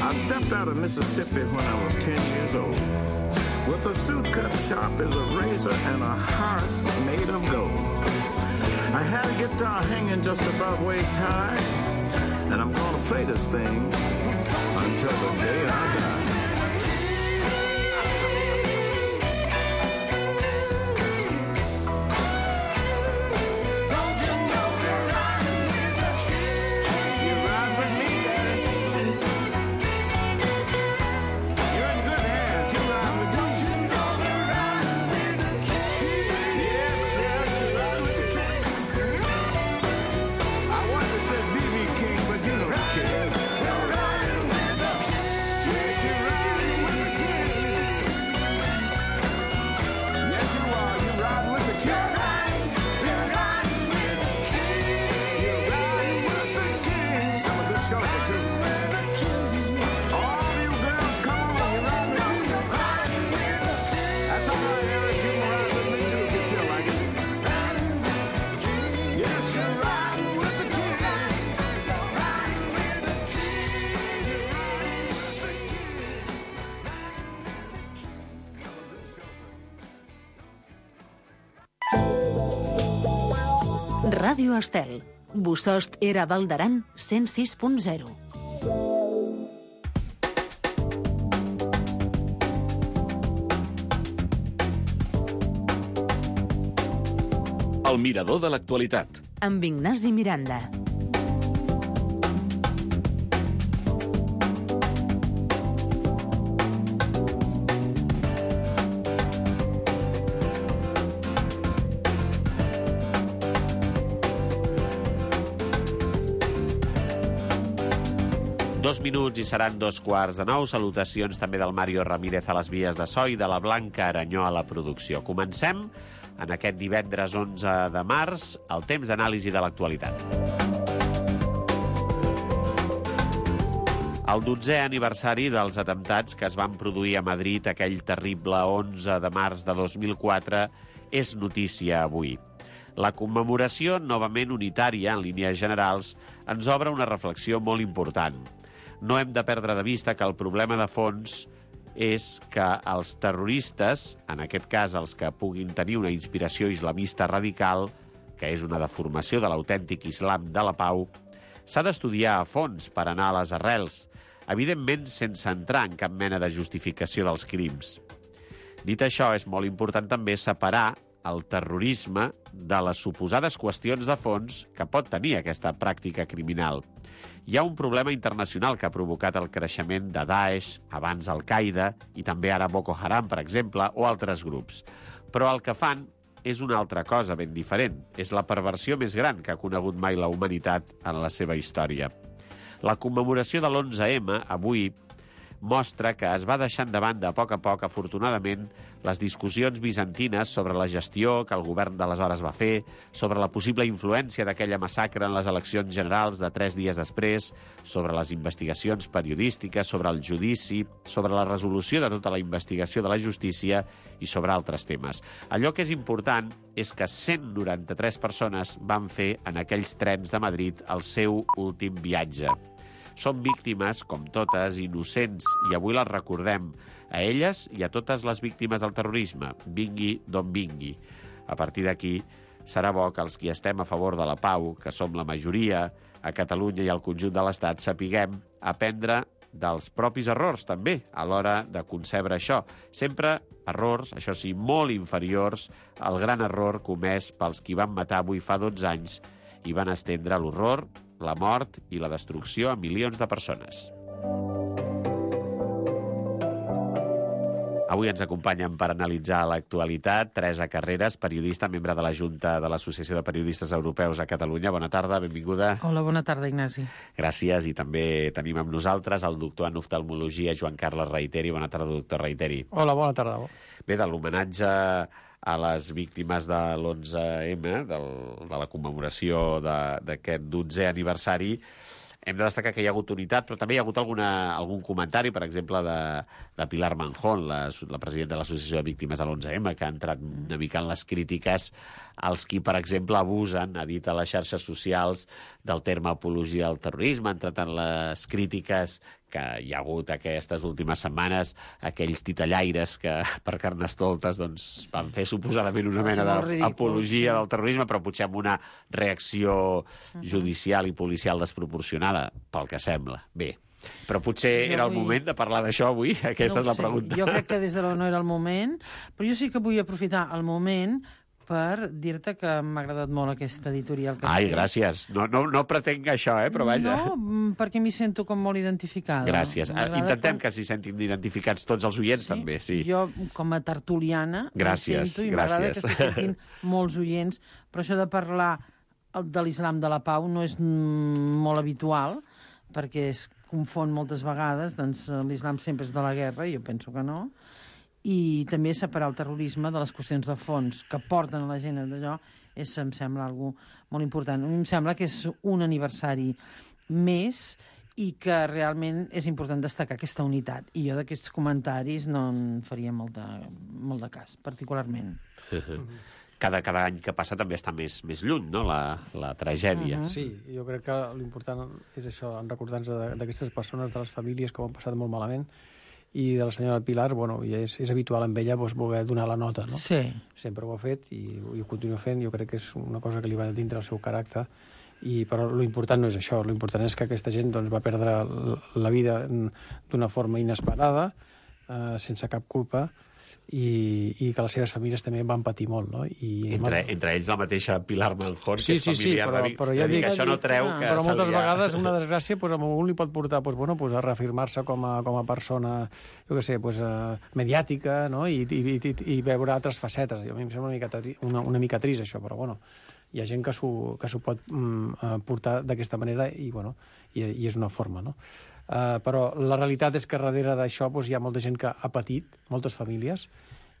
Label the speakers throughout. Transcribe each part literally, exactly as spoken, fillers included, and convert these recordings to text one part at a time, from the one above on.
Speaker 1: I stepped out of Mississippi when I was ten years old, with a suit cut sharp as a razor and a heart made of gold. I had a guitar hanging just above waist high, and I'm gonna play this thing until the day I die.
Speaker 2: Ràdio Estel. Bossòst era Val d'Aran cent sis punt zero.
Speaker 3: El mirador de l'actualitat.
Speaker 2: Amb Ignasi Miranda.
Speaker 4: Dos minuts i seran dos quarts de nou. Salutacions també del Mario Ramírez a les vies de so i de la Blanca Aranyó a la producció. Comencem en aquest divendres onze de març, el temps d'anàlisi de l'actualitat. El dotzè aniversari dels atemptats que es van produir a Madrid aquell terrible onze de març de dos mil quatre és notícia avui. La commemoració, novament unitària en línies generals, ens obre una reflexió molt important. No hem de perdre de vista que el problema de fons és que els terroristes, en aquest cas els que puguin tenir una inspiració islamista radical, que és una deformació de l'autèntic islam de la pau, s'ha d'estudiar a fons per anar a les arrels, evidentment sense entrar en cap mena de justificació dels crims. Dit això, és molt important també separar el terrorisme de les suposades qüestions de fons que pot tenir aquesta pràctica criminal. Hi ha un problema internacional que ha provocat el creixement de Daesh, abans Al-Qaeda i també ara Boko Haram, per exemple, o altres grups. Però el que fan és una altra cosa ben diferent. És la perversió més gran que ha conegut mai la humanitat en la seva història. La commemoració de l'onze eme, avui, mostra que es va deixant de banda a poc a poc, afortunadament, les discussions bizantines sobre la gestió que el govern d'aleshores va fer, sobre la possible influència d'aquella massacre en les eleccions generals de tres dies després, sobre les investigacions periodístiques, sobre el judici, sobre la resolució de tota la investigació de la justícia i sobre altres temes. Allò que és important és que cent noranta-tres persones van fer en aquells trens de Madrid el seu últim viatge. Són víctimes, com totes, innocents, i avui les recordem a elles i a totes les víctimes del terrorisme, vingui d'on vingui. A partir d'aquí, serà bo que els qui estem a favor de la pau, que som la majoria a Catalunya i al conjunt de l'Estat, sapiguem aprendre dels propis errors, també, a l'hora de concebre això. Sempre errors, això sí, molt inferiors al gran error comès pels qui van matar avui fa dotze anys i van estendre l'horror, la mort i la destrucció a milions de persones. Avui ens acompanyen per analitzar l'actualitat Teresa Carreras, periodista, membre de la Junta de l'Associació de Periodistes Europeus a Catalunya. Bona tarda, benvinguda.
Speaker 5: Hola, bona tarda, Ignasi.
Speaker 4: Gràcies, i també tenim amb nosaltres el doctor en oftalmologia, Joan Carles Reiteri. Bona tarda, doctor Reiteri.
Speaker 6: Hola, bona tarda.
Speaker 4: Bé, de l'homenatge a les víctimes de l'onze eme, del, de la commemoració d'aquest dotzè aniversari, hem de destacar que hi ha hagut unitat, però també hi ha hagut alguna, algun comentari, per exemple, de, de Pilar Manjón, la, la presidenta de l'Associació de Víctimes de l'onze eme, que ha entrat una mica en les crítiques als qui, per exemple, abusen, ha dit a les xarxes socials, del terme apologia del terrorisme, ha entrat en les crítiques que hi ha hagut aquestes últimes setmanes, aquells titellaires que per Carnestoltes doncs, van fer suposadament una mena d'apologia del terrorisme, però potser amb una reacció judicial i policial desproporcionada, pel que sembla. Bé, però potser
Speaker 5: Jo
Speaker 4: era el
Speaker 5: vull-
Speaker 4: moment de parlar d'això avui? Aquesta
Speaker 5: No ho
Speaker 4: és la
Speaker 5: sé.
Speaker 4: pregunta.
Speaker 5: Jo crec que des de la no era el moment, però jo sí que vull aprofitar el moment per dir-te que m'ha agradat molt aquesta editorial que has
Speaker 4: Ai,
Speaker 5: fet.
Speaker 4: gràcies. No, no, no pretenc això, eh, però vaja.
Speaker 5: No, mm, perquè m'hi sento com molt identificada.
Speaker 4: Gràcies.
Speaker 5: M'agrada
Speaker 4: Intentem
Speaker 5: quan-
Speaker 4: que s'hi sentin identificats tots els oients, també, sí.
Speaker 5: Jo, com a tertuliana, m'hi
Speaker 4: Gràcies,
Speaker 5: sento i m'agrada que
Speaker 4: gràcies.
Speaker 5: s'hi sentin molts oients, però això de parlar de l'islam de la pau no és mm, molt habitual, perquè es confon moltes vegades, doncs eh, l'islam sempre és de la guerra, i jo penso que no, i també separar el terrorisme de les qüestions de fons que porten a la gent a d'allò, és, em sembla algo molt important. A mi em sembla que és un aniversari més i que realment és important destacar aquesta unitat. I jo d'aquests comentaris no en faria molt de, molt de cas, particularment.
Speaker 4: Cada, cada any que passa també està més, més lluny, no?, la, la tragèdia.
Speaker 5: Mhm.
Speaker 6: Sí, jo crec que l'important és això, en recordar-nos de- d'aquestes persones, de les famílies que ho han passat molt malament, i de la senyora Pilar, bueno, i és, és habitual en ella doncs, voler donar la nota, no?
Speaker 5: Sí.
Speaker 6: Sempre ho ha fet i, i ho continua fent. Jo crec que és una cosa que li va dintre el seu caràcter, i, però l'important no és això. L'important és que aquesta gent doncs, va perdre l- la vida d'una forma inesperada, eh, sense cap culpa, i, i que les seves famílies també van patir molt, no? I,
Speaker 4: Entre, entre ells la mateixa Pilar Manjón,
Speaker 6: Sí,
Speaker 4: que és
Speaker 6: sí, sí,
Speaker 4: familiar
Speaker 6: però-
Speaker 4: de Vic.
Speaker 6: però ja
Speaker 4: de Vic.
Speaker 6: dic-
Speaker 4: Això no treu que
Speaker 6: però
Speaker 4: se
Speaker 6: moltes
Speaker 4: li ha-
Speaker 6: vegades una desgràcia pues, a algú li pot portar pues, bueno, pues, a reafirmar-se com, a, com a persona, jo què sé, pues, uh, mediàtica, no? I, i, i, i veure altres facetes. A mi em sembla una mica, tri- una, una mica trist, això, però bueno, hi ha gent que s'ho que s'ho pot mm, eh, portar d'aquesta manera i, bueno, i, i és una forma, no? Uh, però la realitat és que darrere d'això pues, hi ha molta gent que ha patit, moltes famílies,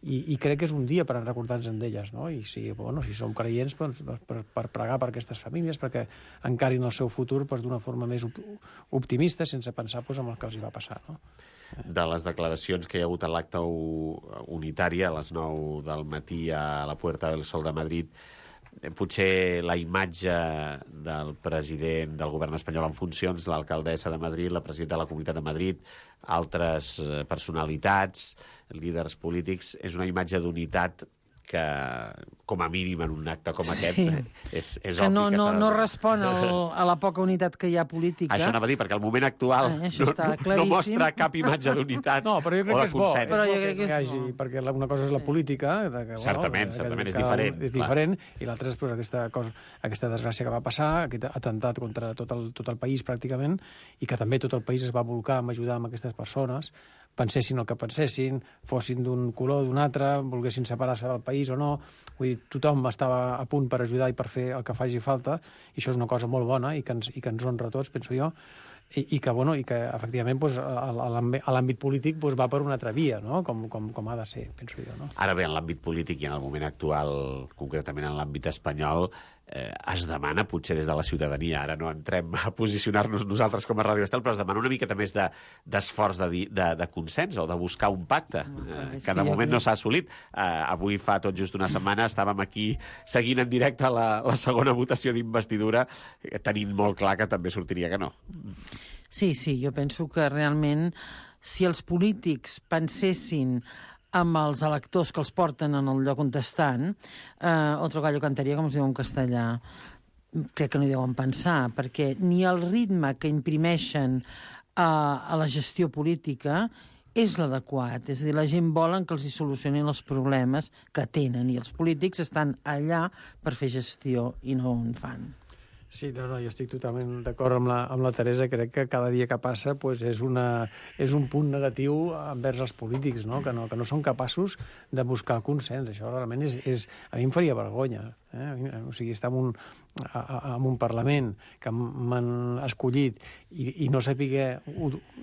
Speaker 6: i, i crec que és un dia per recordar-nos d'elles, no? I si, bueno, si som creients, doncs, doncs, per, per pregar per aquestes famílies, perquè encarin el seu futur doncs, d'una forma més op optimista, sense pensar doncs, en el que els hi va passar, no?
Speaker 4: De les declaracions que hi ha hagut a l'acte unitari a les nou del matí a la Puerta del Sol de Madrid, eh, potser la imatge del president del govern espanyol en funcions, l'alcaldessa de Madrid, la presidenta de la Comunitat de Madrid, altres eh, personalitats, líders polítics, és una imatge d'unitat que, com a mínim en un acte com aquest,
Speaker 5: Sí.
Speaker 4: és, és
Speaker 5: Que
Speaker 4: obvi
Speaker 5: no,
Speaker 4: que
Speaker 5: no,
Speaker 4: s'ha de-
Speaker 5: no respon al, a la poca unitat que hi ha política.
Speaker 4: Això anava a dir, perquè al moment actual
Speaker 5: Ah, això
Speaker 4: no,
Speaker 5: està
Speaker 4: no, no
Speaker 5: claríssim.
Speaker 4: mostra cap imatge d'unitat
Speaker 6: No, però jo crec
Speaker 4: o
Speaker 6: que
Speaker 4: de
Speaker 6: és bo.
Speaker 4: consens.
Speaker 6: És
Speaker 5: Però
Speaker 6: bo
Speaker 5: jo crec que
Speaker 6: hi
Speaker 5: és
Speaker 6: hagi,
Speaker 5: bo.
Speaker 6: perquè la, una cosa és la política, de que,
Speaker 4: Certament,
Speaker 6: bueno,
Speaker 4: certament,
Speaker 6: que
Speaker 4: és
Speaker 6: cada un
Speaker 4: diferent,
Speaker 6: és
Speaker 4: clar.
Speaker 6: diferent, i l'altra és pues, aquesta, cosa, aquesta desgràcia que va passar, aquest atemptat contra tot el, tot el país pràcticament, i que també tot el país es va volcar a ajudar amb aquestes persones, pensessin el que pensessin, fossin d'un color o d'un altre, volguessin separar-se del país o no. Vull dir, tothom estava a punt per ajudar i per fer el que faci falta, i això és una cosa molt bona i que ens, i que ens honra a tots, penso jo, i, i que, bueno, i que efectivament pues, a a l'àmbit polític pues, va per una altra via, no? com, com, com ha de ser, penso jo. No?
Speaker 4: Ara bé, en l'àmbit polític i en el moment actual, concretament en l'àmbit espanyol, eh, es demana, potser des de la ciutadania, ara no entrem a posicionar-nos nosaltres com a Ràdio Estel, però es demana una miqueta més d'esforç de, de, de, de consens o de buscar un pacte, eh,
Speaker 5: és
Speaker 4: que
Speaker 5: que
Speaker 4: de
Speaker 5: jo
Speaker 4: moment
Speaker 5: crec-
Speaker 4: no s'ha assolit. Eh, avui fa tot just una setmana estàvem aquí seguint en directe la, la segona votació d'investidura, eh, tenint molt clar que també sortiria que no.
Speaker 5: Sí, sí, jo penso que realment si els polítics pensessin amb els electors que els porten en el lloc on estan, eh, otro gallo cantaria, com es diu en castellà. Crec que no hi deuen pensar, perquè ni el ritme que imprimeixen a, a la gestió política és l'adequat. És a dir, la gent volen que els hi solucionin els problemes que tenen, i els polítics estan allà per fer gestió i no en fan.
Speaker 6: Sí, no, no, jo estic totalment d'acord amb, la, amb la Teresa. Crec que cada dia que passa pues, és, una, és un punt negatiu envers els polítics, no? Que, no, que no són capaços de buscar el consens. Això realment és, és, a mi em faria vergonya. Eh? O sigui, estar en un, a, a, en un Parlament que m'han escollit i, i no saber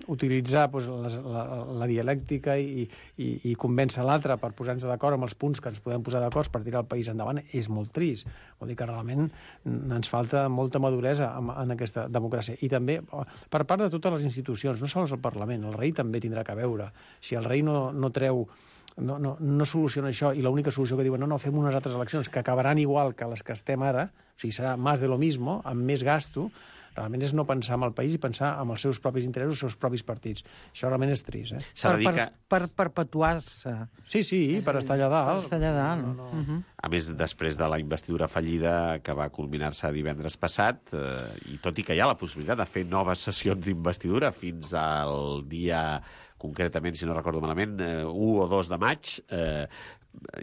Speaker 6: utilitzar doncs, la, la, la dialèctica i, i, i convèncer l'altre per posar-nos d'acord amb els punts que ens podem posar d'acord per tirar el país endavant és molt trist. Vol dir que realment ens falta molta maduresa en, en aquesta democràcia. I també per part de totes les institucions, no sols el Parlament, el rei també tindrà que veure. Si el rei no, no treu No, no, no soluciona això i l'única solució que diuen no, no, fem unes altres eleccions que acabaran igual que les que estem ara, o sigui, serà més de lo mismo, amb més gasto, realment és no pensar en el país i pensar en els seus propis interessos, els seus propis partits. Això realment és trist, eh?
Speaker 5: Per, per, per perpetuar-se.
Speaker 6: Sí, sí, per estar allà dalt.
Speaker 5: Per estar allà dalt.
Speaker 6: No, no.
Speaker 5: Uh -huh.
Speaker 4: A més, després de la investidura fallida que va culminar-se divendres passat, eh, i tot i que hi ha la possibilitat de fer noves sessions d'investidura fins al dia, concretament, si no recordo malament, eh, u o dos de maig, eh,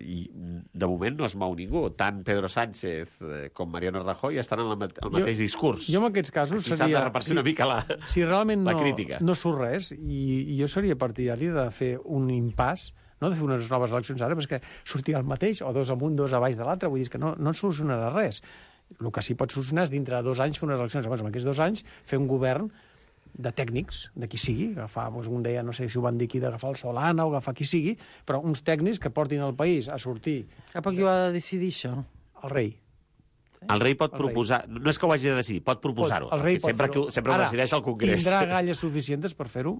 Speaker 4: i de moment no es mou ningú. Tant Pedro Sánchez eh, com Mariano Rajoy estan en el, el mateix
Speaker 6: jo,
Speaker 4: discurs.
Speaker 6: Jo en aquests casos
Speaker 4: Aquí
Speaker 6: seria...
Speaker 4: s'ha de repartir una mica la,
Speaker 6: si realment
Speaker 4: la
Speaker 6: no,
Speaker 4: crítica.
Speaker 6: no surt res, i, i jo seria partidari de fer un impàs, no de fer unes noves eleccions ara, perquè sortirà el mateix, o dos amunt, dos a baix de l'altre, vull dir que no, no solucionarà res. El que sí pot solucionar és dintre de dos anys fer unes eleccions. Llavors, en aquests dos anys, fer un govern de tècnics, de qui sigui, agafar, doncs, un deia, no sé si ho van dir aquí, d'agafar el Solana o agafar qui sigui, però uns tècnics que portin el país a sortir.
Speaker 5: Cap a qui ho ha de decidir, això?
Speaker 6: El rei.
Speaker 4: El rei pot
Speaker 6: el
Speaker 4: proposar... Rei. No és que ho hagi de decidir, pot proposar-ho.
Speaker 6: El rei pot
Speaker 4: sempre, que, sempre ho
Speaker 6: Ara,
Speaker 4: decideix el Congrés.
Speaker 6: Tindrà galles suficients per fer-ho?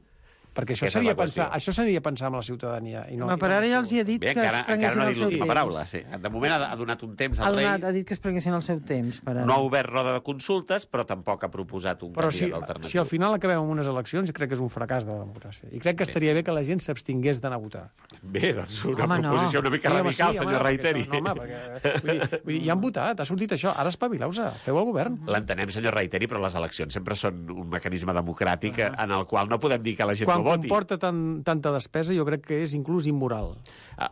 Speaker 6: Perquè això
Speaker 4: Aquesta
Speaker 6: seria,
Speaker 4: és la
Speaker 6: pensar,
Speaker 4: qüestió.
Speaker 6: això seria pensar amb la ciutadania. I no,
Speaker 5: Home, per
Speaker 6: i no
Speaker 5: ara ja els hi he dit
Speaker 4: Bé,
Speaker 5: que
Speaker 4: encara,
Speaker 5: es prenguessin
Speaker 4: encara no ha
Speaker 5: el
Speaker 4: dit
Speaker 5: seu
Speaker 4: l'última
Speaker 5: temps.
Speaker 4: paraula. Sí. De moment ha, ha donat un temps
Speaker 5: Ha,
Speaker 4: al
Speaker 5: donat,
Speaker 4: rei.
Speaker 5: ha dit que es prenguessin el seu temps. Per ara.
Speaker 4: No ha obert roda de consultes, però tampoc ha proposat un
Speaker 6: Però si,
Speaker 4: candidat alternatiu.
Speaker 6: si al final acabem amb unes eleccions, crec que és un fracàs de la democràcia. I crec que estaria bé que la gent s'abstingués d'anar a votar.
Speaker 4: Bé, doncs una
Speaker 5: Home, no.
Speaker 4: proposició una mica
Speaker 6: Sí, home,
Speaker 4: radical,
Speaker 6: sí,
Speaker 4: senyor
Speaker 6: home,
Speaker 4: Reiteri.
Speaker 6: perquè això- No, home, perquè, vull dir, vull dir, ja han votat, ha sortit això, ara espavileu-se, feu el govern.
Speaker 4: L'entenem, senyor Reiteri, però les eleccions sempre són un mecanisme democràtic uh -huh. en el qual no podem dir que la gent
Speaker 6: Quan
Speaker 4: no voti.
Speaker 6: comporta tan, tanta despesa, jo crec que és inclús immoral.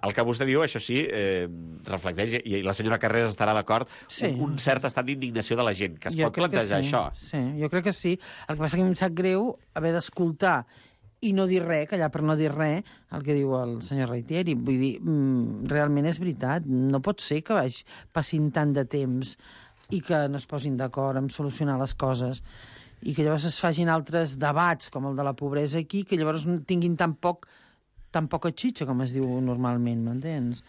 Speaker 4: El que vostè diu, això sí, eh, reflecteix, i la senyora Carreras estarà d'acord,
Speaker 5: Sí.
Speaker 4: un, un cert estat d'indignació de la gent, que es
Speaker 5: Jo
Speaker 4: pot
Speaker 5: crec que
Speaker 4: plantejar
Speaker 5: sí.
Speaker 4: això.
Speaker 5: Sí, jo crec que sí. El que passa que em sap greu haver d'escoltar i no dir res, callar per no dir res, el que diu el senyor Reiteri. Vull dir, mm, realment és veritat. No pot ser que vagi, passin tant de temps i que no es posin d'acord en solucionar les coses i que llavors es facin altres debats, com el de la pobresa aquí, que llavors tinguin tan poc tan poca xitxa, com es diu normalment, m'entens?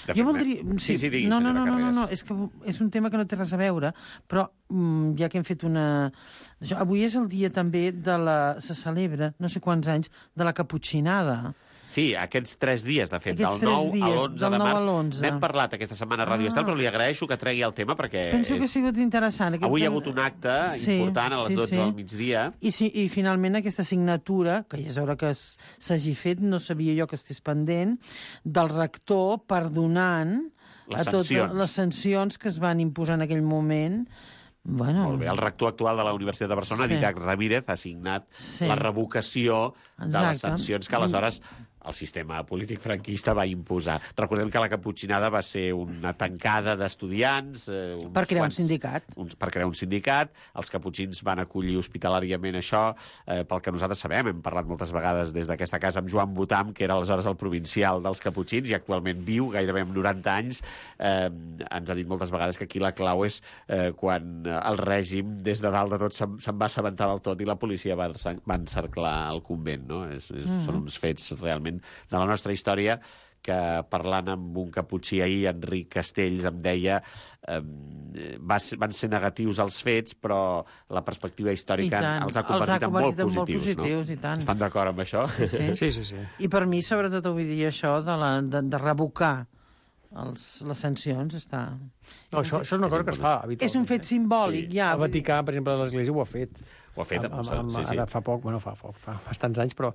Speaker 4: De
Speaker 5: Jo
Speaker 4: fet,
Speaker 5: voldria...
Speaker 4: sí, sí, digui,
Speaker 5: no, no,
Speaker 4: senyora
Speaker 5: no, no, no, no,
Speaker 4: Carreras.
Speaker 5: és que és un tema que no té res a veure, però mm, ja que hem fet una... Això, avui és el dia també de la... se celebra, no sé quants anys, de la caputxinada.
Speaker 4: Sí, aquests tres dies, de fet,
Speaker 5: Aquests
Speaker 4: del
Speaker 5: tres
Speaker 4: nou a
Speaker 5: dies,
Speaker 4: l'onze
Speaker 5: del
Speaker 4: de
Speaker 5: nou a
Speaker 4: març.
Speaker 5: l'onze.
Speaker 4: N'hem parlat aquesta setmana a Ràdio
Speaker 5: Ah.
Speaker 4: Estel, però li agraeixo que tregui el tema perquè
Speaker 5: Penso que ha
Speaker 4: és...
Speaker 5: sigut interessant. Aquest
Speaker 4: avui hi ha
Speaker 5: tema-
Speaker 4: hagut un acte
Speaker 5: Sí,
Speaker 4: important a les
Speaker 5: sí,
Speaker 4: dotze
Speaker 5: sí.
Speaker 4: del migdia.
Speaker 5: I, sí, I finalment aquesta signatura, que ja és hora que es- s'hagi fet, no sabia jo que estigués pendent, del rector perdonant
Speaker 4: Les
Speaker 5: a totes
Speaker 4: sancions.
Speaker 5: les sancions que es van imposar en aquell moment. Bueno,
Speaker 4: Molt bé, el rector actual de la Universitat de Barcelona,
Speaker 5: Sí.
Speaker 4: Didac Ramírez, ha signat
Speaker 5: Sí.
Speaker 4: la revocació de les
Speaker 5: Exacte.
Speaker 4: sancions que aleshores el sistema polític franquista va imposar. Recordem que la caputxinada va ser una tancada d'estudiants... Eh, uns
Speaker 5: Per crear un
Speaker 4: quants-
Speaker 5: sindicat.
Speaker 4: Uns, per crear un sindicat. Els caputxins van acollir hospitalàriament això, eh, pel que nosaltres sabem, hem parlat moltes vegades des d'aquesta casa amb Joan Botam, que era aleshores el provincial dels caputxins i actualment viu, gairebé amb noranta anys. Eh, ens ha dit moltes vegades que aquí la clau és eh, quan el règim, des de dalt de tot, se'n se va assabentar del tot i la policia va, va encerclar el convent. No? És, és, mm-hmm. Són uns fets realment de la nostra història que parlant amb un caputxí ahir, Enric Castells, em deia eh, va ser, van ser negatius els fets, però la perspectiva històrica
Speaker 5: tant.
Speaker 4: els ha convertit,
Speaker 5: Els ha
Speaker 4: en molt
Speaker 5: convertit en molt
Speaker 4: positius.
Speaker 5: positius,
Speaker 4: no?
Speaker 5: i tant.
Speaker 4: Estan d'acord amb això?
Speaker 5: Sí.
Speaker 6: Sí, sí, sí.
Speaker 5: I per mi, sobretot, vull dir això de, la, de, de revocar els, les sancions, està...
Speaker 6: No, això, això és una cosa que es fa habitualment.
Speaker 5: És un fet simbòlic,
Speaker 4: Sí.
Speaker 5: ja.
Speaker 6: El Vaticà, per exemple, l'Església ho ha fet.
Speaker 4: Ho ha fet,
Speaker 6: Amb, amb, amb,
Speaker 4: sí, sí.
Speaker 6: Ara fa poc, bueno, fa poc, fa bastants anys, però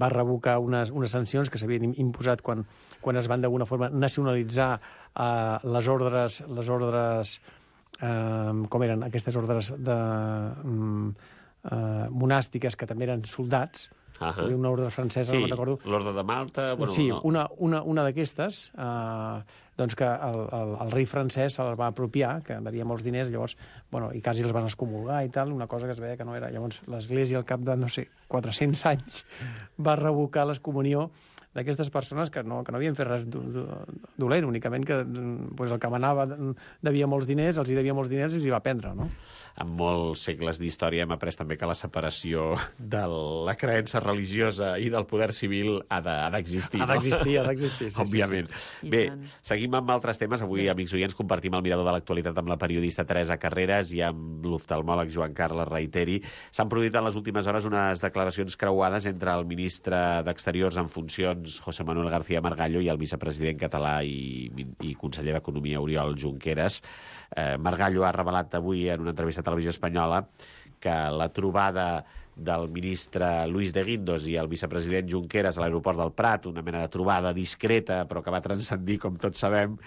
Speaker 6: va revocar unes, unes sancions que s'havien imposat quan, quan es van d'alguna forma nacionalitzar eh, les ordres, les ordres eh, com eren aquestes ordres de, um, eh, monàstiques que també eren soldats.
Speaker 4: Uh
Speaker 6: Hi havia una ordre francesa,
Speaker 4: Sí,
Speaker 6: no me'n recordo.
Speaker 4: l'Orde de Malta... Bueno,
Speaker 6: sí,
Speaker 4: no.
Speaker 6: una, una, una d'aquestes, eh, doncs que el, el, el rei francès se les va apropiar, que devia molts diners, llavors, bueno, i quasi els van excomulgar i tal, una cosa que es veia que no era. Llavors, l'Església, al cap de, no sé, quatre-cents anys, va revocar l'excomunió d'aquestes persones que no, que no havien fet res dolent, únicament que pues, el que manava devia molts diners, els hi devia molts diners i els hi va prendre, no?
Speaker 4: En molts segles d'història hem après també que la separació de la creença religiosa i del poder civil ha d'existir.
Speaker 6: Ha d'existir, no? ha d'existir, sí,
Speaker 4: òbviament.
Speaker 6: Sí, sí.
Speaker 4: Bé, seguim amb altres temes. Avui, Bé. amics oients, compartim el mirador de l'actualitat amb la periodista Teresa Carreras i amb l'oftalmòleg Joan Carles Reiteri. S'han produït en les últimes hores unes declaracions creuades entre el ministre d'Exteriors en funcions, José Manuel García Margallo, i el vicepresident català i, i conseller d'Economia, Oriol Junqueras. Eh, Margallo ha revelat avui en una entrevista a Televisió Espanyola que la trobada del ministre Luis de Guindos i el vicepresident Junqueras a l'aeroport del Prat, una mena de trobada discreta però que va transcendir, com tots sabem,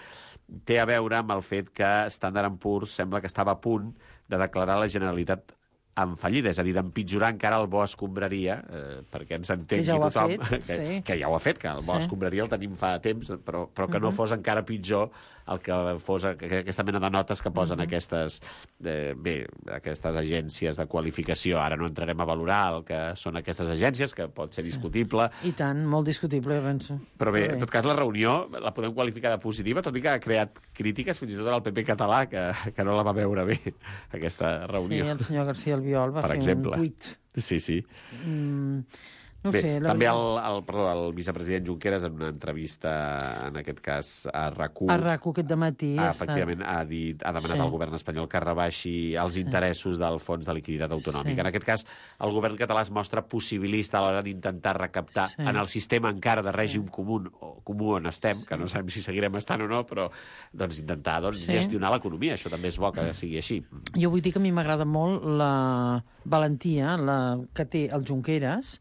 Speaker 4: té a veure amb el fet que Standard and Poor's sembla que estava a punt de declarar la Generalitat en fallida, és a dir, d'empitjorar encara el bo escombraria, eh, perquè ens entengui
Speaker 5: ja
Speaker 4: tothom,
Speaker 5: fet,
Speaker 4: que,
Speaker 5: sí.
Speaker 4: que ja ho ha fet, que el bo
Speaker 5: sí.
Speaker 4: escombraria el tenim fa temps, però, però que uh -huh. no fos encara pitjor el que fos aquesta mena de notes que posen uh -huh. aquestes, eh, bé, aquestes agències de qualificació. Ara no entrarem a valorar el que són aquestes agències, que pot ser discutible.
Speaker 5: I tant, molt discutible, penso.
Speaker 4: Però bé, en tot cas, la reunió la podem qualificar de positiva, tot i que ha creat crítiques fins i tot al P P català, que, que no la va veure bé, aquesta reunió.
Speaker 5: Sí, el senyor García Albiol va
Speaker 4: per
Speaker 5: fer
Speaker 4: exemple.
Speaker 5: un tuit.
Speaker 4: Sí, sí.
Speaker 5: Mm, no
Speaker 4: Bé,
Speaker 5: sé, la
Speaker 4: també el,
Speaker 5: veritat...
Speaker 4: el, perdó, el vicepresident Junqueras, en una entrevista, en aquest cas, a RAC1...
Speaker 5: A RAC1 aquest dematí
Speaker 4: ha,
Speaker 5: ha
Speaker 4: efectivament,
Speaker 5: estat...
Speaker 4: ha, dit, ha demanat
Speaker 5: Sí.
Speaker 4: al govern espanyol que rebaixi els
Speaker 5: Sí.
Speaker 4: interessos del Fons de Liquiditat Autonòmic.
Speaker 5: Sí.
Speaker 4: En aquest cas, el govern català es mostra possibilista a l'hora d'intentar recaptar
Speaker 5: Sí.
Speaker 4: en el sistema encara de règim
Speaker 5: Sí.
Speaker 4: comú, o comú on estem,
Speaker 5: Sí.
Speaker 4: que no sabem si seguirem estant o no, però doncs, intentar doncs,
Speaker 5: Sí.
Speaker 4: gestionar l'economia. Això també és bo que sigui així.
Speaker 5: Jo vull dir que a mi m'agrada molt la valentia la que té el Junqueras,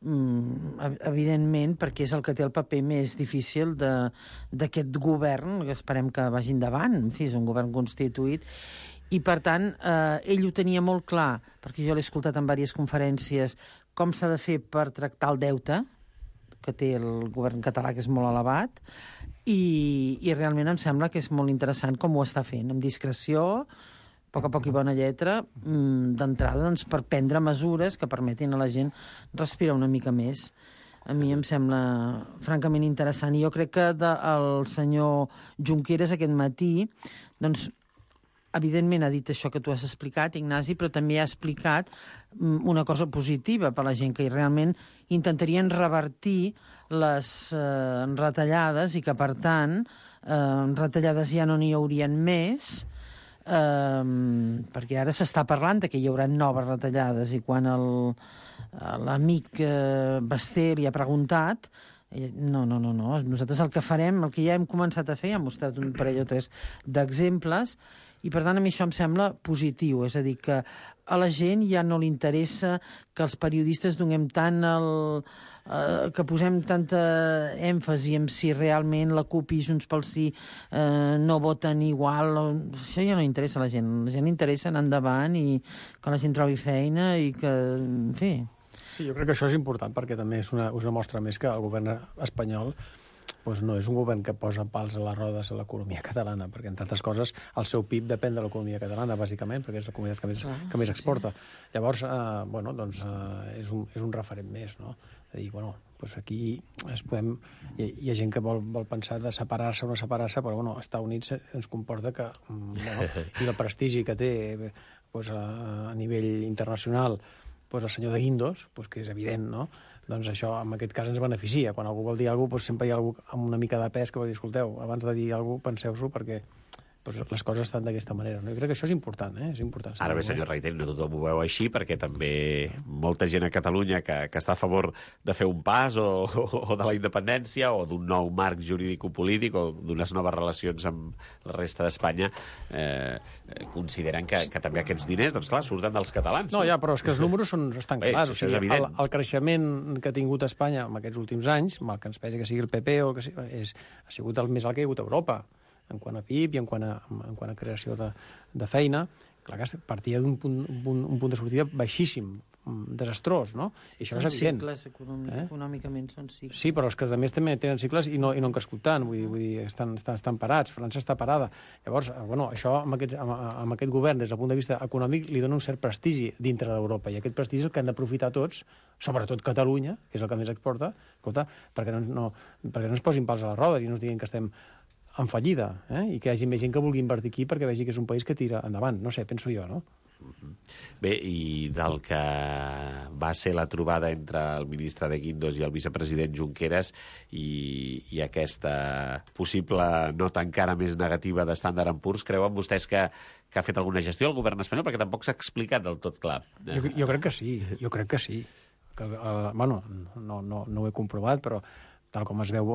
Speaker 5: mm, evidentment, perquè és el que té el paper més difícil d'aquest govern, que esperem que vagi endavant. En fi, és un govern constituït. I, per tant, eh, ell ho tenia molt clar, perquè jo l'he escoltat en diverses conferències, com s'ha de fer per tractar el deute que té el govern català, que és molt elevat, i, i realment em sembla que és molt interessant com ho està fent, amb discreció, a poc a poc i bona lletra, d'entrada, doncs, per prendre mesures que permetin a la gent respirar una mica més. A mi em sembla francament interessant. I jo crec que de, el senyor Junqueras aquest matí, doncs, evidentment ha dit això que tu has explicat, Ignasi, però també ha explicat una cosa positiva per a la gent, que realment intentarien revertir les eh, retallades i que, per tant, eh, retallades ja no n'hi haurien més, Um, perquè ara s'està parlant de que hi haurà noves retallades, i quan l'amic uh, Basté li ha preguntat, no, no, no, no, nosaltres el que farem, el que ja hem començat a fer, hem mostrat un parell o tres d'exemples, i per tant a mi això em sembla positiu, és a dir, que a la gent ja no li interessa que els periodistes donem tant el... Uh, que posem tanta èmfasi en si realment la CUP i Junts pel Sí uh, no voten igual. Això ja no interessa a la gent. La gent interessa anar endavant i que la gent trobi feina i que, en fi...
Speaker 6: Sí, jo crec que això és important, perquè també és una, una mostra més que el govern espanyol doncs no és un govern que posa pals a les rodes a l'economia catalana, perquè, entre altres coses, el seu P I B depèn de l'economia catalana, bàsicament, perquè és la comunitat que més,
Speaker 5: Clar,
Speaker 6: que més exporta.
Speaker 5: Sí.
Speaker 6: Llavors, eh, bueno, doncs, eh, és, un, és un referent més, no? És a dir, bueno, doncs aquí es podem... Hi, hi ha gent que vol, vol pensar de separar-se o no separar-se, però, bueno, als Estats Units ens comporta que... Bueno, i el prestigi que té doncs, a, a nivell internacional doncs, el senyor de Guindos, doncs, que és evident, no?, doncs això, en aquest cas, ens beneficia. Quan algú vol dir alguna cosa, doncs sempre hi ha algú amb una mica de pes que vol dir, escolteu, abans de dir alguna cosa, penseu-s'ho, perquè doncs, les coses estan d'aquesta manera. No? Jo crec que això és important, eh? És important.
Speaker 4: Ara bé, senyor Reiteri, no tothom ho veu així, perquè també molta gent a Catalunya que, que està a favor de fer un pas o, o, o de la independència o d'un nou marc jurídico-polític o d'unes noves relacions amb la resta d'Espanya eh, consideren que, que també aquests diners, doncs clar, surten dels catalans.
Speaker 6: No, ja, però és que els números són, estan
Speaker 4: bé,
Speaker 6: clars.
Speaker 4: sí,
Speaker 6: O sigui,
Speaker 4: és evident.
Speaker 6: el, el creixement que ha tingut Espanya en aquests últims anys, mal que ens pesi que sigui el P P o que sigui, és, ha sigut el més alt que hi ha hagut a Europa, en quant a P I B i en quant a, en quant a creació de, de feina. Clar que partia d'un punt, un, punt, un punt de sortida baixíssim, desastrós, no? I això
Speaker 5: són
Speaker 6: és evident.
Speaker 5: cicles, econòmic, eh? econòmicament són cicles.
Speaker 6: Sí, però els que a més també tenen cicles i no, i no han crescut tant, vull dir, vull dir estan, estan, estan parats, França està parada. Llavors, bueno, això amb aquest, amb, amb aquest govern, des del punt de vista econòmic, li dona un cert prestigi dintre d'Europa, i aquest prestigi és el que han d'aprofitar tots, sobretot Catalunya, que és el que més exporta, escolta, perquè no, no, perquè no ens posin pals a les rodes i no ens diguin que estem en fallida, eh? I que hi hagi més gent que vulgui invertir aquí perquè vegi que és un país que tira endavant. No sé, penso jo, no?
Speaker 4: Bé, i del que va ser la trobada entre el ministre de Guindos i el vicepresident Junqueras i, i aquesta possible nota encara més negativa de Standard and Poor's, creuen vostès que, que ha fet alguna gestió el govern espanyol? Perquè tampoc s'ha explicat del tot clar.
Speaker 6: Jo, jo crec que sí, jo crec que sí. Que, uh, bueno, no, no, no ho he comprovat, però tal com es veu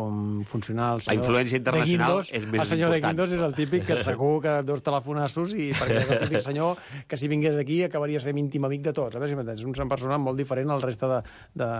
Speaker 6: funcionar el senyor...
Speaker 4: La influència internacional
Speaker 6: Guindos,
Speaker 4: és més important.
Speaker 6: El senyor de Guindos és el típic que segur que dos telefonassos i perquè és el típic senyor que si vingués aquí acabaria sent íntim amic de tots. A veure si m'entens. És una persona molt diferent al resta de, de,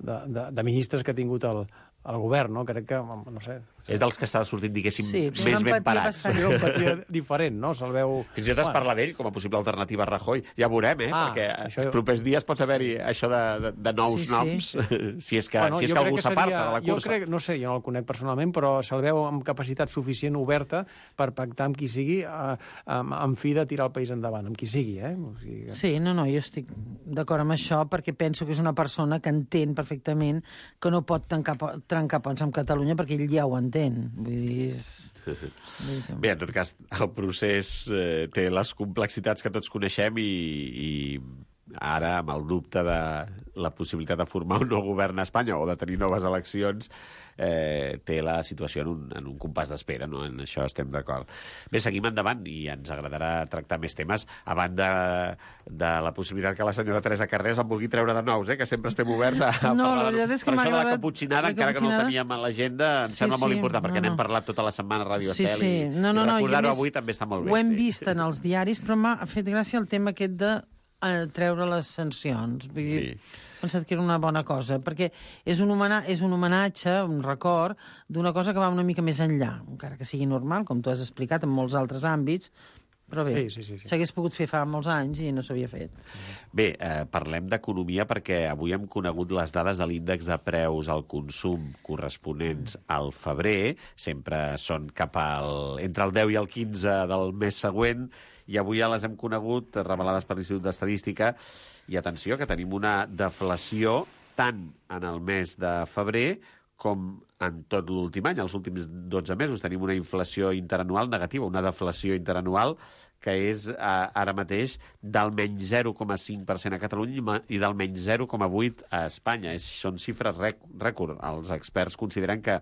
Speaker 6: de, de, de ministres que ha tingut el, el govern, no? Crec que, no sé...
Speaker 4: És dels que està sortint, diguéssim,
Speaker 5: sí,
Speaker 4: més ben parats.
Speaker 6: Sí, una empatia diferent, no? Se'l veu...
Speaker 4: Fins i tot es
Speaker 6: bueno.
Speaker 4: parla d'ell com a possible alternativa a Rajoy. Ja veurem, eh?
Speaker 6: Ah,
Speaker 4: perquè
Speaker 6: això...
Speaker 4: els propers dies pot haver-hi això de, de, de nous
Speaker 5: sí,
Speaker 4: noms,
Speaker 5: sí.
Speaker 4: si és que,
Speaker 6: bueno,
Speaker 4: si és que algú
Speaker 6: que
Speaker 4: s'aparta
Speaker 6: seria...
Speaker 4: de la cursa.
Speaker 6: Jo crec, no sé, jo no el conec personalment, però se'l veu amb capacitat suficient oberta per pactar amb qui sigui, eh, amb, amb fi de tirar el país endavant, amb qui sigui, eh? O sigui que...
Speaker 5: Sí, no, no, jo estic d'acord amb això perquè penso que és una persona que entén perfectament que no pot trencar, trencar ponts amb Catalunya perquè ell ja ho entén. Vull dir, és...
Speaker 4: Bé, en tot cas, el procés eh, té les complexitats que tots coneixem i, i ara, amb el dubte de la possibilitat de formar un nou govern a Espanya o de tenir noves eleccions, eh, té la situació en un, en un compàs d'espera, no? En això estem d'acord. Bé, seguim endavant i ens agradarà tractar més temes a banda de la possibilitat que la senyora Teresa Carreras en vulgui treure de nous, eh? Que sempre estem oberts a, a
Speaker 5: no,
Speaker 4: parlar de...
Speaker 5: És que
Speaker 4: per això
Speaker 5: agradat...
Speaker 4: de la caputxinada, encara que no el teníem a l'agenda, em
Speaker 5: sí,
Speaker 4: sembla
Speaker 5: sí,
Speaker 4: molt important, perquè
Speaker 5: no, no.
Speaker 4: n'hem parlat tota la setmana a Radio
Speaker 5: sí,
Speaker 4: Estel
Speaker 5: sí.
Speaker 4: i,
Speaker 5: no, no,
Speaker 4: i
Speaker 5: no,
Speaker 4: recordar-ho
Speaker 5: i
Speaker 4: avui també està molt bé.
Speaker 5: Ho hem
Speaker 4: sí.
Speaker 5: vist en els diaris, però m'ha fet gràcia el tema aquest de eh, treure les sancions. Vull dir,
Speaker 4: Sí.
Speaker 5: he pensat que era una bona cosa, perquè és un, homena és un homenatge, un record, d'una cosa que va una mica més enllà, encara que sigui normal, com tu has explicat, en molts altres àmbits, però bé,
Speaker 6: sí, sí, sí, sí.
Speaker 5: s'hagués pogut fer fa molts anys i no s'havia fet.
Speaker 4: Bé, eh, parlem d'economia perquè avui hem conegut les dades de l'índex de preus al consum corresponents al febrer, sempre són cap al, entre el deu i el quinze del mes següent, i avui ja les hem conegut, revelades per l'Institut d'Estadística, i atenció, que tenim una deflació tant en el mes de febrer com en tot l'últim any. Els últims dotze mesos tenim una inflació interanual negativa, una deflació interanual que és eh, ara mateix del menys zero coma cinc per cent a Catalunya i del menys zero coma vuit a Espanya. És, són xifres rècord. Els experts consideren que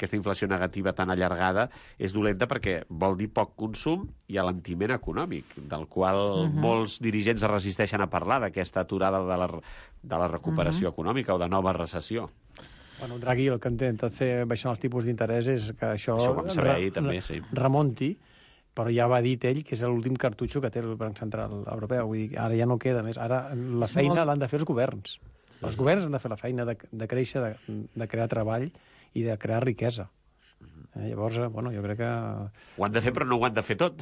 Speaker 4: aquesta inflació negativa tan allargada és dolenta perquè vol dir poc consum i alentiment econòmic, del qual uh-huh. molts dirigents es resisteixen a parlar, d'aquesta aturada de la, de la recuperació uh-huh. econòmica o de nova recessió.
Speaker 6: Bueno, Draghi el que intenta fer baixant els tipus d'interès és que això,
Speaker 4: això ho vam saber ahir, també, sí.
Speaker 6: remonti, però ja va dit ell que és l'últim cartutxo que té el Banc Central Europeu. Vull dir, ara ja no queda més. Ara la
Speaker 5: és
Speaker 6: feina
Speaker 5: molt...
Speaker 6: l'han de fer els governs. Sí, els sí. governs han de fer la feina de, de créixer, de, de crear treball i de crear riquesa. Eh, llavors, bueno, jo crec que...
Speaker 4: Ho han de fer, però no ho han de fer tot.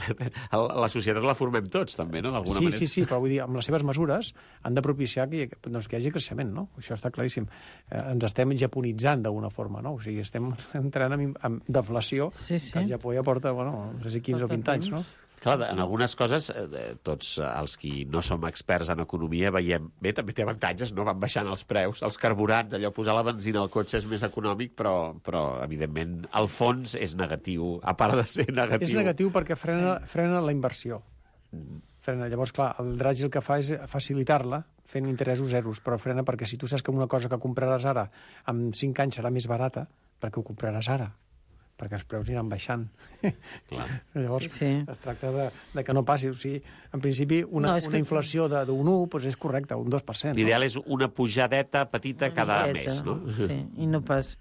Speaker 4: La societat la formem tots, també, no?, d'alguna
Speaker 6: sí,
Speaker 4: manera.
Speaker 6: Sí, sí, però vull dir, amb les seves mesures han de propiciar que, doncs, que hi hagi creixement, no? Això està claríssim. Eh, ens estem japonitzant d'alguna forma, no? O sigui, estem entrant en, en deflació,
Speaker 5: sí, sí.
Speaker 6: que el Japó ja porta, bueno, no sé si quinze o vint anys, no?
Speaker 4: Clar, en algunes coses, eh, tots els qui no som experts en economia veiem, bé, també té avantatges, no? Van baixant els preus, els carburants, allò, posar la benzina al cotxe és més econòmic, però, però evidentment, al fons és negatiu, a part de ser negatiu.
Speaker 6: És negatiu perquè frena, frena la inversió. Frena. Llavors, clar, el Draghi el que fa és facilitar-la, fent interessos zeros, però frena perquè si tu saps que una cosa que compraràs ara, en cinc anys serà més barata, perquè ho compraràs ara, perquè els preus aniran baixant.
Speaker 4: Clar.
Speaker 6: Llavors,
Speaker 5: sí, sí.
Speaker 6: es tracta de, de que no passi. O sigui, en principi, una, no, una que... inflació d'un un doncs és correcta, un dos per cent.
Speaker 4: L'ideal
Speaker 6: no?
Speaker 4: és una pujadeta petita
Speaker 5: una
Speaker 4: cada
Speaker 5: peteta,
Speaker 4: mes, no?
Speaker 5: Sí, i no pas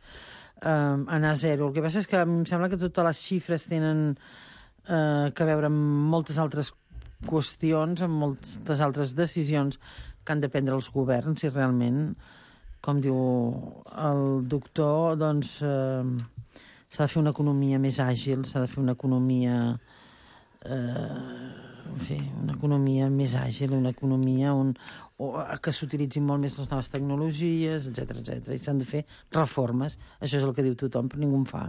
Speaker 5: um, anar a zero. El que passa és que em sembla que totes les xifres tenen uh, que veure amb moltes altres qüestions, amb moltes altres decisions que han de prendre els governs i realment, com diu el doctor, doncs... Uh, s'ha de fer una economia més àgil, s'ha de fer una economia eh, en fi, una economia més àgil, una economia on, o, que s'utilitzin molt més les noves tecnologies, etcètera, etcètera. I s'han de fer reformes. Això és el que diu tothom, però ningú en fa.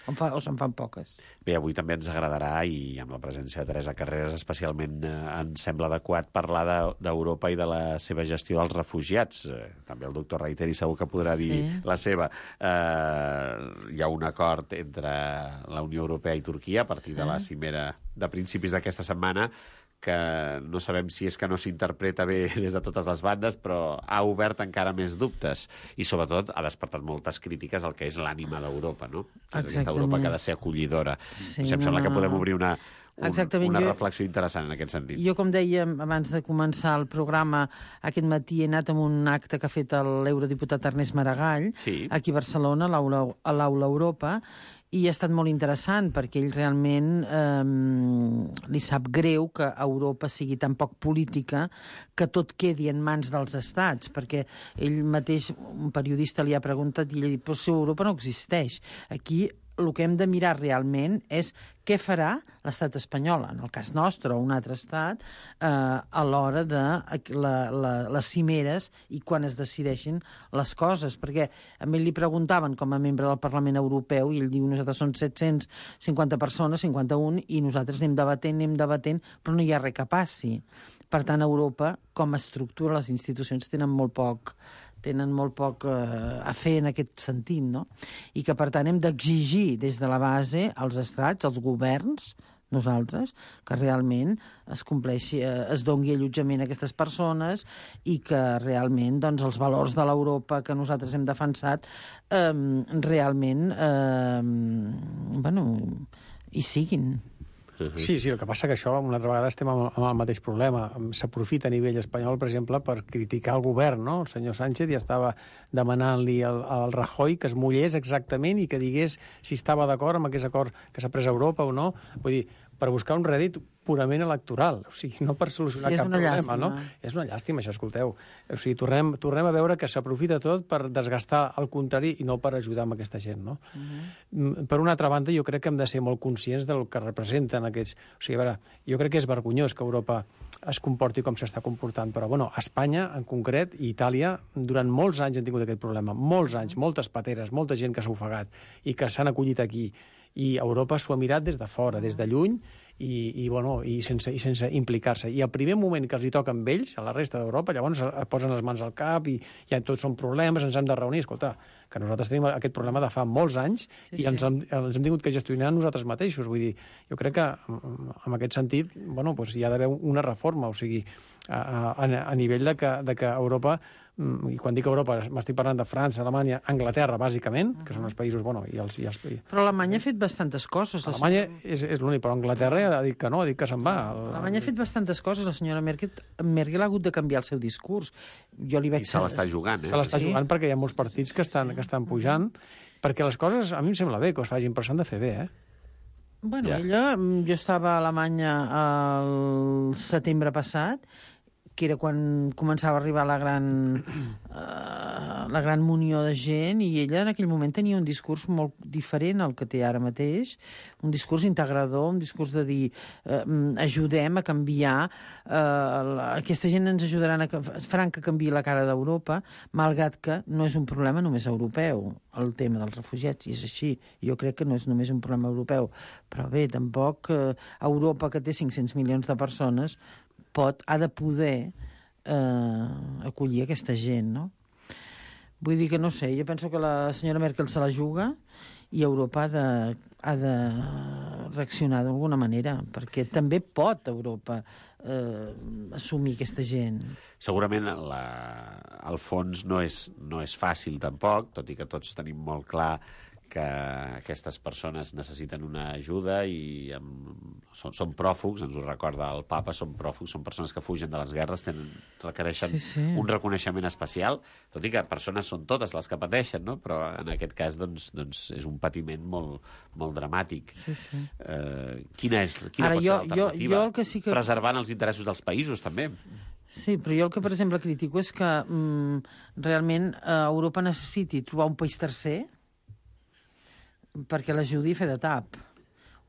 Speaker 5: En fa o se'n fan poques.
Speaker 4: Bé, avui també ens agradarà, i amb la presència de Teresa Carreras especialment eh, ens sembla adequat parlar d'Europa de, i de la seva gestió dels refugiats. Eh, també el doctor Reiteri segur que podrà
Speaker 5: Sí.
Speaker 4: dir la seva. Eh, hi ha un acord entre la Unió Europea i Turquia a partir
Speaker 5: Sí.
Speaker 4: de la cimera de principis d'aquesta setmana, que no sabem si és que no s'interpreta bé des de totes les bandes, però ha obert encara més dubtes i, sobretot, ha despertat moltes crítiques al que és l'ànima d'Europa, no? Aquesta Europa que ha de ser acollidora.
Speaker 5: Sí,
Speaker 4: Sí, em sembla
Speaker 5: no,
Speaker 4: que
Speaker 5: no.
Speaker 4: podem obrir una, un,
Speaker 5: Exactament,
Speaker 4: una
Speaker 5: jo-
Speaker 4: reflexió interessant en aquest sentit.
Speaker 5: Jo, com dèiem abans de començar el programa, aquest matí he anat a un acte que ha fet l'eurodiputat Ernest Maragall,
Speaker 4: Sí.
Speaker 5: aquí a Barcelona, a l'Aula a l'Aula Europa, i ha estat molt interessant perquè ell realment eh, li sap greu que Europa sigui tan poc política que tot quedi en mans dels estats, perquè ell mateix, un periodista li ha preguntat i ell ha dit, però si Europa no existeix. Aquí el que hem de mirar realment és què farà l'estat espanyol, en el cas nostre o un altre estat, eh, a l'hora de la, la, les cimeres i quan es decideixin les coses. Perquè a mi li preguntaven com a membre del Parlament Europeu i ell diu nosaltres som set-cents cinquanta persones, cinquanta-un, i nosaltres anem debatent, anem debatent, però no hi ha res que passi. Per tant, Europa, com a estructura, les institucions tenen molt poc tenen molt poc eh, a fer en aquest sentit, no? I que, per tant, hem d'exigir des de la base als estats, als governs, nosaltres, que realment es compleixi, eh, es doni allotjament a aquestes persones i que realment doncs, els valors de l'Europa que nosaltres hem defensat eh, realment eh, bueno, hi siguin.
Speaker 6: Sí, sí, el que passa que això, una altra vegada, estem amb, amb el mateix problema. S'aprofita a nivell espanyol, per exemple, per criticar el govern, no? El senyor Sánchez ja estava demanant-li al, al Rajoy que es mullés exactament i que digués si estava d'acord amb aquest acord que s'ha pres a Europa o no. Vull dir, per buscar un rèdit purament electoral, o sigui, no per solucionar
Speaker 5: Sí, és
Speaker 6: cap
Speaker 5: una
Speaker 6: problema,
Speaker 5: llàstima.
Speaker 6: no? És una llàstima, això, escolteu. O sigui, tornem, tornem a veure que s'aprofita tot per desgastar el contrari i no per ajudar amb aquesta gent, no? Uh-huh. Per una altra banda, jo crec que hem de ser molt conscients del que representen aquests... O sigui, a veure, jo crec que és vergonyós que Europa es comporti com s'està comportant, però, bueno, Espanya, en concret, i Itàlia, durant molts anys han tingut aquest problema. Molts anys, moltes pateres, molta gent que s'ha ofegat i que s'han acollit aquí. I Europa s'ho ha mirat des de fora, des de lluny, i, i, bueno, i sense, i sense implicar-se. I al primer moment que els hi toca amb ells, a la resta d'Europa, llavors es posen les mans al cap i ja tots són problemes, ens hem de reunir. Escolta, que nosaltres tenim aquest problema de fa molts anys sí, i ens, sí. hem, ens hem tingut que gestionar nosaltres mateixos. Vull dir, jo crec que en aquest sentit, bueno, doncs hi ha d'haver una reforma, o sigui, a, a, a nivell de que, de que Europa, i quan dic Europa m'estic parlant de França, Alemanya, Anglaterra, bàsicament, que són els països... Bueno, i els, i els...
Speaker 5: Però Alemanya ha fet bastantes coses.
Speaker 6: Alemanya és, és l'únic, però Anglaterra ha dit que no, ha dit que se'n va.
Speaker 5: Alemanya ha fet bastantes coses. La senyora Merkel, Merkel ha hagut de canviar el seu discurs. Jo li vaig...
Speaker 4: I se l'està jugant, eh?
Speaker 6: Se l'està
Speaker 5: Sí.
Speaker 6: jugant perquè hi ha molts partits que estan, que estan pujant, perquè les coses, a mi em sembla bé que es facin, però s'han de fer bé, eh?
Speaker 5: Bueno,
Speaker 4: Ja.
Speaker 5: ella... Jo estava a Alemanya el setembre passat, que era quan començava a arribar la gran, uh, la gran munió de gent, i ella en aquell moment tenia un discurs molt diferent al que té ara mateix, un discurs integrador, un discurs de dir uh, ajudem a canviar, uh, aquesta gent ens ajudaran a, faran que canviï la cara d'Europa, malgrat que no és un problema només europeu, el tema dels refugiats, i és així. Jo crec que no és només un problema europeu, però bé, tampoc uh, Europa, que té cinc-cents milions de persones, pot, ha de poder eh, acollir aquesta gent, no? Vull dir que no sé, jo penso que la senyora Merkel se la juga i Europa ha de, ha de reaccionar d'alguna manera, perquè també pot Europa eh, assumir aquesta gent.
Speaker 4: Segurament la, el fons no és, no és fàcil tampoc, tot i que tots tenim molt clar que aquestes persones necessiten una ajuda i amb, són, són pròfugs, ens ho recorda el papa, són pròfugs, són persones que fugen de les guerres, tenen, requereixen
Speaker 5: Sí, sí.
Speaker 4: un reconeixement especial, tot i que persones són totes les que pateixen, no? Però en aquest cas doncs, doncs és un patiment molt, molt dramàtic.
Speaker 5: Sí, sí.
Speaker 4: Eh, quina és, quina
Speaker 5: Ara,
Speaker 4: pot
Speaker 5: jo-
Speaker 4: ser l'alternativa?
Speaker 5: jo- jo el que sí que-
Speaker 4: Preservant els interessos dels països, també.
Speaker 5: Sí, però jo el que, per exemple, critico és que mm, realment eh, Europa necessiti trobar un país tercer perquè l'ajudi a fer de tap.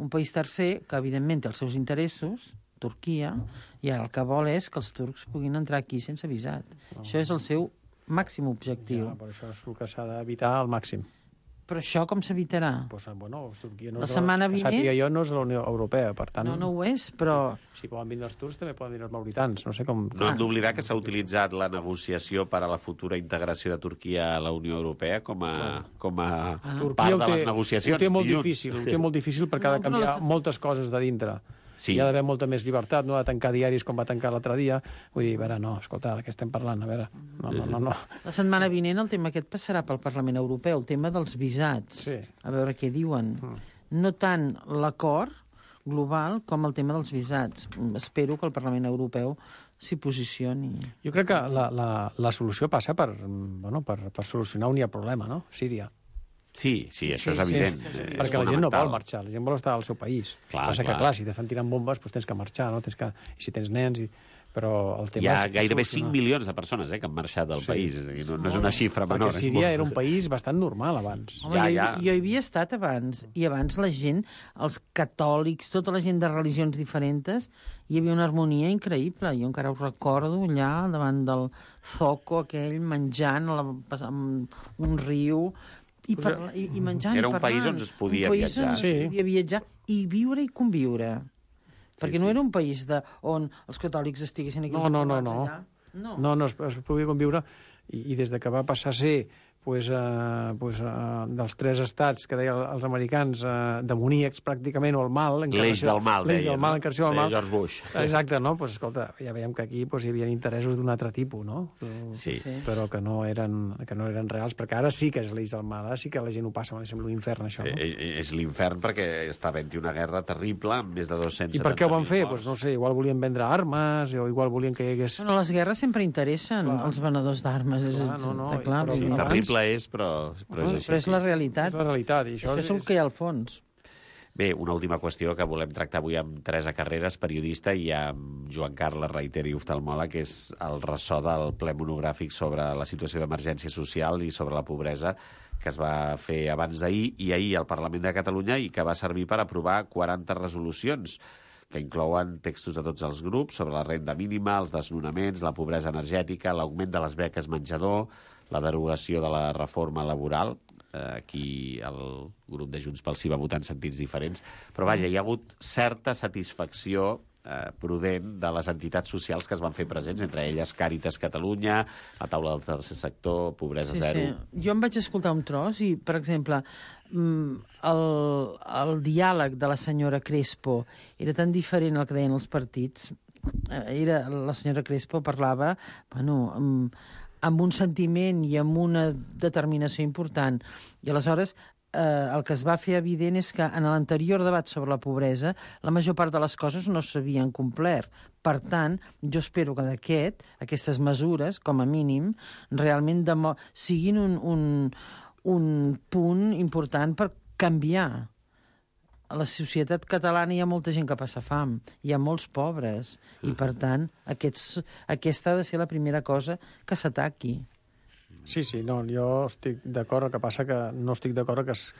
Speaker 5: un país tercer que, evidentment, té els seus interessos, Turquia, i ara el que vol és que els turcs puguin entrar aquí sense visat. Oh. Això és el seu màxim objectiu.
Speaker 6: Ja, per això és el que s'ha d'evitar al màxim.
Speaker 5: Però això com s'evitarà?
Speaker 6: Pues, bueno, Turquia no
Speaker 5: la
Speaker 6: és
Speaker 5: setmana
Speaker 6: que
Speaker 5: vinent...
Speaker 6: sàpiga jo, no és la Unió Europea, per tant...
Speaker 5: No, no ho és, però...
Speaker 6: Si poden venir els turcs, també poden venir els mauritans. No sé com...
Speaker 4: No hem d'oblidar que s'ha utilitzat la negociació per a la futura integració de Turquia a la Unió Europea com a, com a
Speaker 5: Ah.
Speaker 4: part de les negociacions.
Speaker 6: Ho té molt
Speaker 4: dilluns.
Speaker 6: difícil, ho té molt difícil perquè ha de
Speaker 5: No, però
Speaker 6: canviar
Speaker 5: les-
Speaker 6: moltes coses de dintre.
Speaker 4: Sí.
Speaker 6: Hi ha d'haver molta més llibertat, no ha de tancar diaris com va tancar l'altre dia. Vull dir, a veure, no, escolta, de què estem parlant? A veure, no, no, no. no.
Speaker 5: La setmana vinent el tema aquest passarà pel Parlament Europeu, el tema dels visats.
Speaker 6: Sí.
Speaker 5: A veure què diuen. No tant l'acord global com el tema dels visats. Espero que el Parlament Europeu s'hi posicioni.
Speaker 6: Jo crec que la, la, la solució passa per, bueno, per, per solucionar un hi ha problema, no? Síria.
Speaker 4: Sí, sí, això
Speaker 5: Sí,
Speaker 4: és evident.
Speaker 5: sí,
Speaker 4: és
Speaker 6: Perquè la gent no
Speaker 4: fonamental.
Speaker 6: vol marxar, la gent vol estar al seu país.
Speaker 4: Clar,
Speaker 6: Passa que,
Speaker 4: clar.
Speaker 6: clar, si t'estan tirant bombes, doncs tens que marxar, no? Tens que... I si tens nens... I... Però el tema
Speaker 4: Hi ha
Speaker 6: és
Speaker 4: gairebé
Speaker 6: solucionar.
Speaker 4: cinc milions de persones eh, que han marxat del
Speaker 6: Sí.
Speaker 4: país. És a dir, no, no és una xifra
Speaker 6: Perquè
Speaker 4: menor. és
Speaker 6: Síria
Speaker 4: molt-
Speaker 6: era un país bastant normal abans.
Speaker 5: Home,
Speaker 4: Ja,
Speaker 5: jo,
Speaker 4: ja.
Speaker 5: jo hi havia estat abans, i abans la gent, els catòlics, tota la gent de religions diferents, hi havia una harmonia increïble. Jo encara ho recordo allà, davant del zoco aquell, menjant a la, amb un riu, i, parla, i, i menjant
Speaker 4: Era
Speaker 5: i
Speaker 4: un
Speaker 5: parlant.
Speaker 4: país on es podia
Speaker 5: un país
Speaker 4: viatjar.
Speaker 5: On es
Speaker 6: Sí.
Speaker 5: podia viatjar i viure i conviure. Perquè
Speaker 4: sí.
Speaker 5: no era un país de, on els catòlics estiguessin aquí.
Speaker 6: No, no, no,
Speaker 5: els
Speaker 6: no.
Speaker 5: allà. No.
Speaker 6: No, no, es, es podia conviure i, i des de que va passar a ser pues, uh, pues, uh, dels tres estats que deien els americans uh, demoníacs pràcticament, o el mal...
Speaker 4: L'eix del mal,
Speaker 6: L'eix
Speaker 4: deien,
Speaker 6: del mal,
Speaker 4: no?
Speaker 6: encarnació del
Speaker 4: Deia
Speaker 6: mal.
Speaker 4: George Bush.
Speaker 6: Exacte, no? Pues, escolta, ja veiem que aquí pues, hi havia interessos d'un altre tipus, no?
Speaker 4: Sí.
Speaker 5: Sí.
Speaker 6: Però que no, eren, que no eren reals, perquè ara sí que és l'eix del mal, ara sí que la gent ho passa, em sembla un infern, això, no?
Speaker 4: Eh, eh, és l'infern perquè està havent-hi una guerra terrible amb més de dos-cents
Speaker 6: I per què ho van fer? Pues, no sé, igual volien vendre armes, o igual volien que hi hagués...
Speaker 5: Bueno, les guerres sempre interessen
Speaker 6: Clar.
Speaker 5: els venedors d'armes. És,
Speaker 6: Clar, no, no,
Speaker 5: està clar,
Speaker 6: però-
Speaker 4: Sí,
Speaker 5: abans-
Speaker 4: terrible és, però, però és així.
Speaker 5: Però és la realitat.
Speaker 6: És la realitat, i això,
Speaker 5: Això és el que hi ha al fons.
Speaker 4: Bé, una última qüestió que volem tractar avui amb Teresa Carreras, periodista, i amb Joan Carles Reiteri, oftalmòleg, que és el ressò del ple monogràfic sobre la situació d'emergència social i sobre la pobresa que es va fer abans d'ahir i ahir al Parlament de Catalunya i que va servir per aprovar quaranta resolucions que inclouen textos de tots els grups sobre la renda mínima, els desnonaments, la pobresa energètica, l'augment de les beques menjador, la derogació de la reforma laboral. Aquí el grup de Junts pel Sí va votar en sentits diferents, però vaja, hi ha hagut certa satisfacció eh, prudent de les entitats socials que es van fer presents, entre elles Càritas Catalunya, la taula del tercer sector, Pobresa
Speaker 5: Sí,
Speaker 4: Zero...
Speaker 5: sí. Jo em vaig escoltar un tros i, per exemple, mm, el, el diàleg de la senyora Crespo era tan diferent al que deien els partits. Eh, Era, la senyora Crespo parlava, bueno, amb, amb un sentiment i amb una determinació important. I aleshores eh, el que es va fer evident és que en l'anterior debat sobre la pobresa la major part de les coses no s'havien complert. Per tant, jo espero que d'aquest, aquestes mesures, com a mínim, realment demo- siguin un, un, un punt important per canviar. A la societat catalana hi ha molta gent que passa fam, hi ha molts pobres, i per tant aquests, aquesta ha de ser la primera cosa que s'ataqui.
Speaker 6: Sí, sí, no, jo estic d'acord, el que passa que no estic d'acord que es,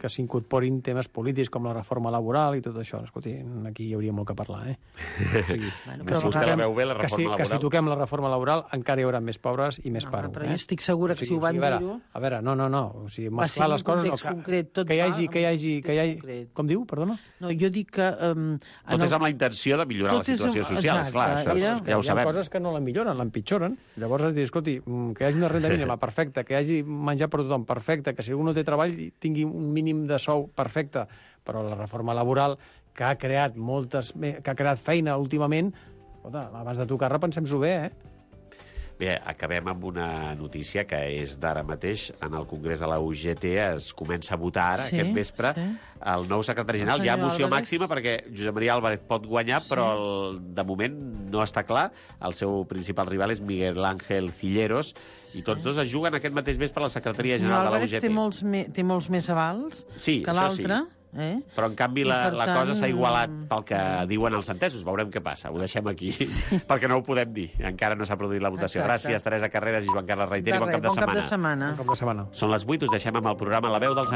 Speaker 6: que s'incorporin temes polítics com la reforma laboral i tot això. Escolti, aquí hi hauria molt que parlar, eh? O sigui,
Speaker 5: Bueno,
Speaker 4: però vostè la veu bé, la
Speaker 6: que si,
Speaker 4: reforma
Speaker 6: que si
Speaker 4: laboral?
Speaker 6: toquem la reforma laboral encara hi haurà més pobres i més
Speaker 5: No,
Speaker 6: paro.
Speaker 5: però
Speaker 6: eh?
Speaker 5: jo estic segura que si ho van
Speaker 6: a veure,
Speaker 5: dir-ho-
Speaker 6: A veure, no, no, no. O sigui,
Speaker 5: Va
Speaker 6: mesclar
Speaker 5: ser en
Speaker 6: les
Speaker 5: un
Speaker 6: coses...
Speaker 5: context
Speaker 6: que,
Speaker 5: concret, tot
Speaker 6: que hi
Speaker 5: va
Speaker 6: hagi...
Speaker 5: en
Speaker 6: Que hi
Speaker 5: un
Speaker 6: hagi, que hi hagi...
Speaker 5: context concret.
Speaker 6: Com diu, perdona?
Speaker 5: No, jo dic que... Um,
Speaker 4: Tot és amb la intenció de millorar la
Speaker 5: Tot és
Speaker 4: situació
Speaker 5: amb-
Speaker 4: social,
Speaker 5: exacte,
Speaker 4: esclar, això
Speaker 5: era-
Speaker 4: és, ja ho
Speaker 6: Hi ha
Speaker 4: sabem.
Speaker 6: coses que no la milloren, l'empitjoren. Llavors has de dir, escolti, mm, que hi hagi una renda mínima perfecta, que hi hagi menjar per tothom perfecte, que si algú no té treball tingui un mínim de sou perfecte, però la reforma laboral que ha creat moltes, que ha creat feina últimament, escolta, abans de tocar repensem-s'ho bé, eh?
Speaker 4: Bé, acabem amb una notícia que és d'ara mateix. En el Congrés de la U G T es comença a votar ara,
Speaker 5: Sí,
Speaker 4: aquest vespre,
Speaker 5: sí.
Speaker 4: el nou secretari general.
Speaker 5: El
Speaker 4: Hi ha
Speaker 5: senyor
Speaker 4: moció
Speaker 5: Álvarez.
Speaker 4: màxima perquè Josep Maria Álvarez pot guanyar,
Speaker 5: Sí.
Speaker 4: però el, de moment no està clar. El seu principal rival és Miguel Ángel Cilleros, i tots dos es juguen aquest mateix vespre a la secretaria
Speaker 5: El senyor
Speaker 4: general de la
Speaker 5: Álvarez
Speaker 4: U G T.
Speaker 5: té molts, me, té molts més avals
Speaker 4: Sí,
Speaker 5: que
Speaker 4: això sí.
Speaker 5: l'altre. Eh?
Speaker 4: Però, en canvi,
Speaker 5: I,
Speaker 4: la,
Speaker 5: per
Speaker 4: la
Speaker 5: tant,
Speaker 4: cosa s'ha igualat pel que diuen els entesos. Veurem què passa. Ho deixem aquí, sí. perquè no ho podem dir. Encara no s'ha produït la votació.
Speaker 5: Exacte.
Speaker 4: Gràcies, Teresa Carreras i Joan Carles Reiteri.
Speaker 5: De
Speaker 4: Bon
Speaker 5: res,
Speaker 4: cap de
Speaker 5: bon cap
Speaker 4: setmana.
Speaker 5: de setmana.
Speaker 6: Un cop de setmana.
Speaker 4: Són les vuit, us deixem amb el programa La veu dels